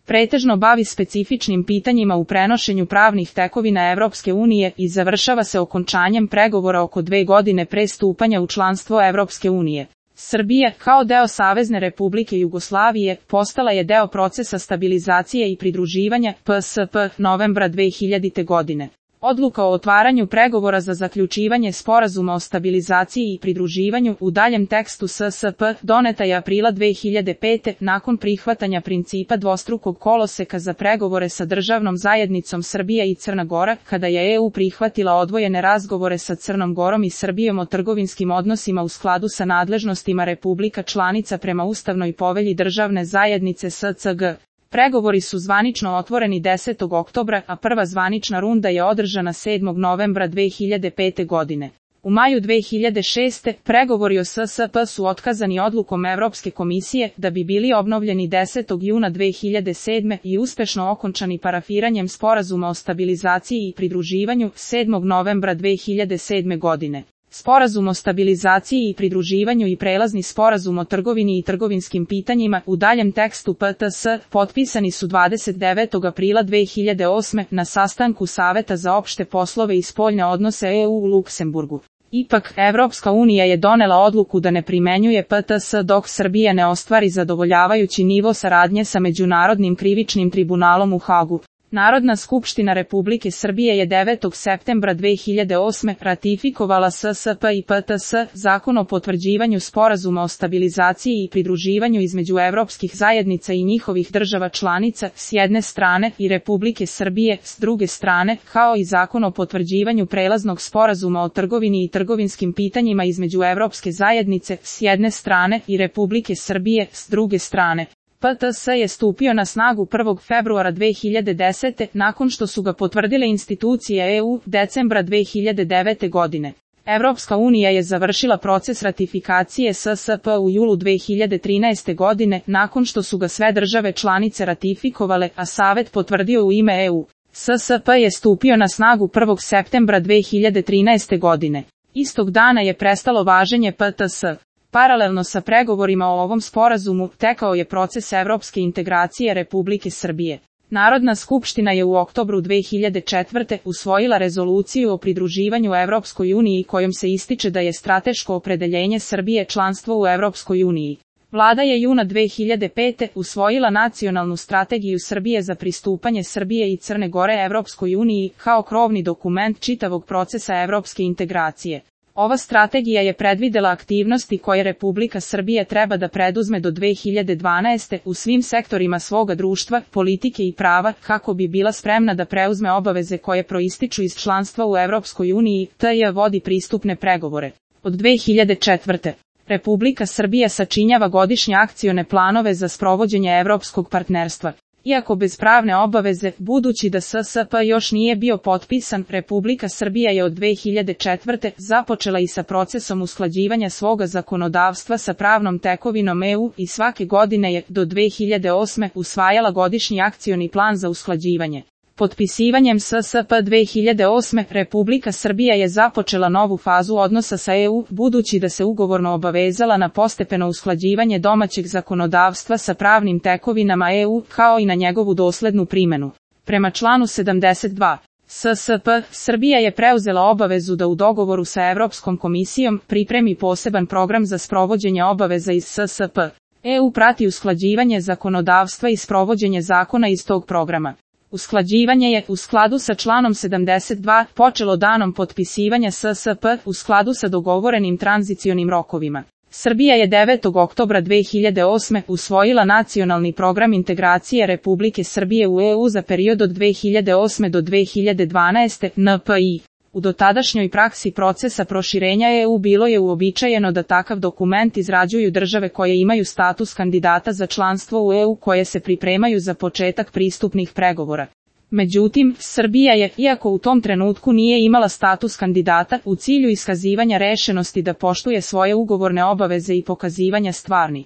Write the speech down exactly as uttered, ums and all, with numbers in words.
pretežno bavi specifičnim pitanjima u prenošenju pravnih tekovina Evropske unije i završava se okončanjem pregovora oko dve godine pre stupanja u članstvo Evropske unije. Srbija, kao deo Savezne Republike Jugoslavije, postala je deo procesa stabilizacije i pridruživanja P S P novembra dve hiljadite. godine. Odluka o otvaranju pregovora za zaključivanje sporazuma o stabilizaciji i pridruživanju u daljem tekstu S S P doneta je aprila dve hiljade pete. nakon prihvatanja principa dvostrukog koloseka za pregovore sa državnom zajednicom Srbija i Crna Gora, kada je E U prihvatila odvojene razgovore sa Crnom Gorom i Srbijom o trgovinskim odnosima u skladu sa nadležnostima republika članica prema Ustavnoj povelji državne zajednice S C G. Pregovori su zvanično otvoreni desetog oktobra, a prva zvanična runda je održana sedmog novembra dve hiljade pete. godine. U maju dve hiljade šeste. pregovori o S S P su otkazani odlukom Evropske komisije, da bi bili obnovljeni desetog juna dve hiljade sedme. i uspešno okončani parafiranjem sporazuma o stabilizaciji i pridruživanju sedmog novembra dve hiljade sedme. godine. Sporazum o stabilizaciji i pridruživanju i prelazni sporazum o trgovini i trgovinskim pitanjima u daljem tekstu P T S potpisani su dvadeset devetog aprila dve hiljade osme. na sastanku Saveta za opšte poslove i spoljne odnose E U u Luksemburgu. Ipak, Evropska unija je donela odluku da ne primenjuje P T S dok Srbija ne ostvari zadovoljavajući nivo saradnje sa Međunarodnim krivičnim tribunalom u Hagu. Narodna skupština Republike Srbije je devetog septembra dve hiljade osme. ratifikovala S S P i P T S, zakon o potvrđivanju sporazuma o stabilizaciji i pridruživanju između evropskih zajednica i njihovih država članica, s jedne strane, i Republike Srbije, s druge strane, kao i zakon o potvrđivanju prelaznog sporazuma o trgovini i trgovinskim pitanjima između Evropske zajednice, s jedne strane, i Republike Srbije, s druge strane. P T S je stupio na snagu prvog februara dve hiljade desete. nakon što su ga potvrdile institucije E U decembra dve hiljade devete. godine. Evropska unija je završila proces ratifikacije S S P u julu dve hiljade trinaeste. godine nakon što su ga sve države članice ratifikovale, a Savet potvrdio u ime E U. S S P je stupio na snagu prvog septembra dve hiljade trinaeste. godine. Istog dana je prestalo važenje P T S. Paralelno sa pregovorima o ovom sporazumu, tekao je proces evropske integracije Republike Srbije. Narodna skupština je u oktobru dve hiljade četvrte. usvojila rezoluciju o pridruživanju Evropskoj uniji kojom se ističe da je strateško opredeljenje Srbije članstvo u Evropskoj uniji. Vlada je juna dve hiljade pete. usvojila nacionalnu strategiju Srbije za pristupanje Srbije i Crne Gore Evropskoj uniji kao krovni dokument čitavog procesa evropske integracije. Ova strategija je predvidela aktivnosti koje Republika Srbije treba da preduzme do dve hiljade dvanaeste. u svim sektorima svoga društva, politike i prava, kako bi bila spremna da preuzme obaveze koje proističu iz članstva u Evropskoj uniji, te je vodi pristupne pregovore. Od dve hiljade četvrte. Republika Srbija sačinjava godišnje akcione planove za sprovođenje evropskog partnerstva. Iako bez pravne obaveze, budući da S S P još nije bio potpisan, Republika Srbija je od dve hiljade četvrte. započela i sa procesom usklađivanja svoga zakonodavstva sa pravnom tekovinom E U i svake godine je, do dve hiljade osme. usvajala godišnji akcioni plan za usklađivanje. Potpisivanjem S S P dve hiljade osme. Republika Srbija je započela novu fazu odnosa sa E U, budući da se ugovorno obavezala na postepeno usklađivanje domaćeg zakonodavstva sa pravnim tekovinama E U, kao i na njegovu doslednu primjenu. Prema članu sedamdeset dva. S S P, Srbija je preuzela obavezu da u dogovoru sa Evropskom komisijom pripremi poseban program za sprovođenje obaveza iz S S P. E U prati usklađivanje zakonodavstva i sprovođenje zakona iz tog programa. Usklađivanje je, u skladu sa članom sedamdeset dva, počelo danom potpisivanja S S P, u skladu sa dogovorenim tranzicionim rokovima. Srbija je devetog oktobra dve hiljade osme. usvojila nacionalni program integracije Republike Srbije u E U za period od dve hiljade osme do dve hiljade dvanaeste. N P I. U dotadašnjoj praksi procesa proširenja E U bilo je uobičajeno da takav dokument izrađuju države koje imaju status kandidata za članstvo u E U koje se pripremaju za početak pristupnih pregovora. Međutim, Srbija je, iako u tom trenutku nije imala status kandidata, u cilju iskazivanja rešenosti da poštuje svoje ugovorne obaveze i pokazivanja stvarni